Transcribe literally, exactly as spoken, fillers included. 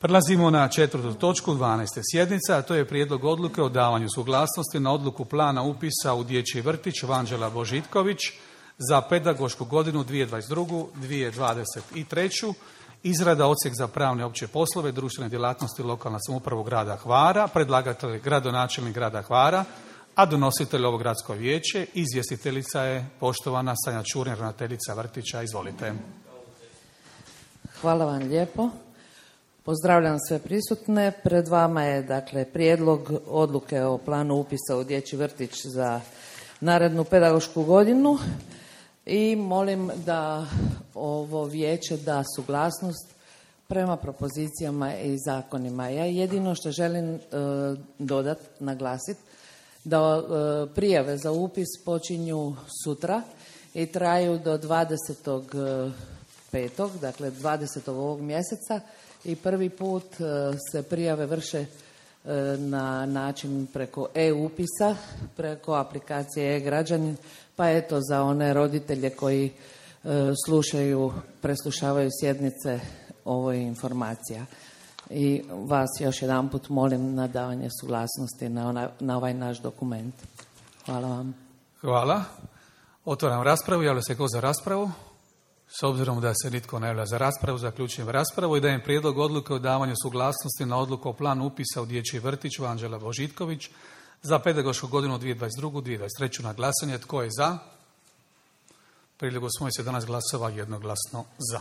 Prelazimo na četvrtu točku dvanaeste sjednice, a to je prijedlog odluke o davanju suglasnosti na odluku plana upisa u dječji vrtić Vanđela Božitković za pedagošku godinu dvije tisuće dvadeset drugu do dvije tisuće dvadeset treću. Izrada odsjek za pravne opće poslove, društvene djelatnosti, lokalna samouprava grada Hvara, predlagatelj gradonačelnik grada Hvara, a donositelj ovo gradsko vijeće. Izvjestiteljica je poštovana Sanja Čurin, ravnateljica vrtića. Izvolite. Hvala vam lijepo. Pozdravljam sve prisutne. Pred vama je dakle prijedlog odluke o planu upisa u dječji vrtić za narednu pedagošku godinu i molim da ovo vijeće da suglasnost prema propozicijama i zakonima. Ja jedino što želim e, dodati, naglasiti, da e, prijave za upis počinju sutra i traju do dvadesetog petog dakle dvadesetog ovog mjeseca i prvi put e, se prijave vrše e, na način preko e-upisa, preko aplikacije e-građanin, pa eto za one roditelje koji e, slušaju, preslušavaju sjednice, ovo je informacija. I vas još jedan put molim na davanje suglasnosti na, ona, na ovaj naš dokument. Hvala vam. Hvala. Otvaram raspravu. Javlja se ko za raspravu? S obzirom da se nitko ne javlja za raspravu, zaključujem raspravu i dajem prijedlog odluke o davanju suglasnosti na odluku o planu upisa u dječji vrtić Vanđela Božitković za pedagošku godinu dvije tisuće dvadeset drugu do dvije tisuće dvadeset treću na glasanje. Tko je za? Prijedlog usvojen se danas glasova jednoglasno za.